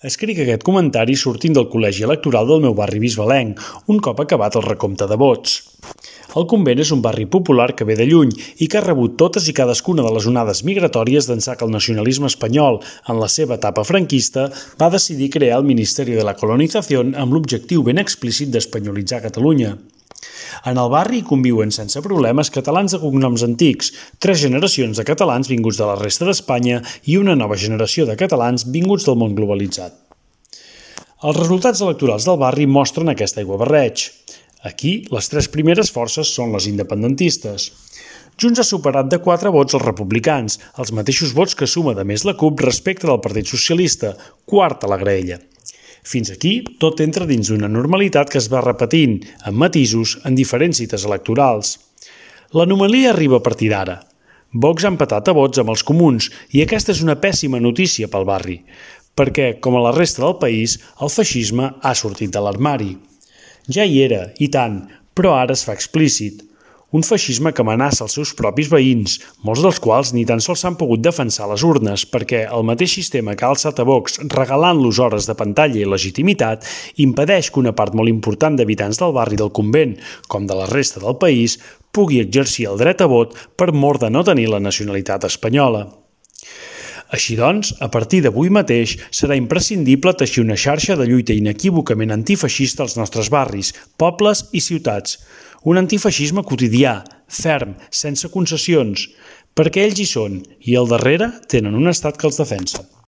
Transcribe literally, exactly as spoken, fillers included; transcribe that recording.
Escric aquest comentari sortint del col·legi electoral del meu barri bisbalenc, un cop acabat el recompte de vots. El Convent és un barri popular que ve de lluny i que ha rebut totes i cadascuna de les onades migratòries d'ençà que el nacionalisme espanyol, en la seva etapa franquista, va decidir crear el Ministeri de la Colonización amb l'objectiu ben explícit d'espanyolitzar Catalunya. En el barri hi conviuen sense problemes catalans de cognoms antics, tres generacions de catalans vinguts de la resta d'Espanya i una nova generació de catalans vinguts del món globalitzat. Els resultats electorals del barri mostren aquest aiguabarreig. Aquí, les tres primeres forces són les independentistes. Junts ha superat de quatre vots els republicans, els mateixos vots que suma de més la CUP respecte del Partit Socialista, quart a la graella. Fins aquí, tot entra dins d'una normalitat que es va repetint, amb matisos, en diferents cites electorals. L'anomalia arriba a partir d'ara. Vox ha empatat a vots amb els comuns i aquesta és una pèssima notícia pel barri, perquè, com a la resta del país, el feixisme ha sortit de l'armari. Ja hi era, i tant, però ara es fa explícit. Un feixisme que amenaça els seus propis veïns, molts dels quals ni tan sols s'han pogut defensar a les urnes perquè el mateix sistema que ha alçat a Vox regalant-los hores de pantalla i legitimitat impedeix que una part molt important d'habitants del barri del Convent, com de la resta del país, pugui exercir el dret a vot per mor de no tenir la nacionalitat espanyola. Així doncs, a partir d'avui mateix, serà imprescindible teixir una xarxa de lluita inequívocament antifeixista als nostres barris, pobles i ciutats. Un antifeixisme quotidià, ferm, sense concessions, perquè ells hi són i al darrere tenen un estat que els defensa.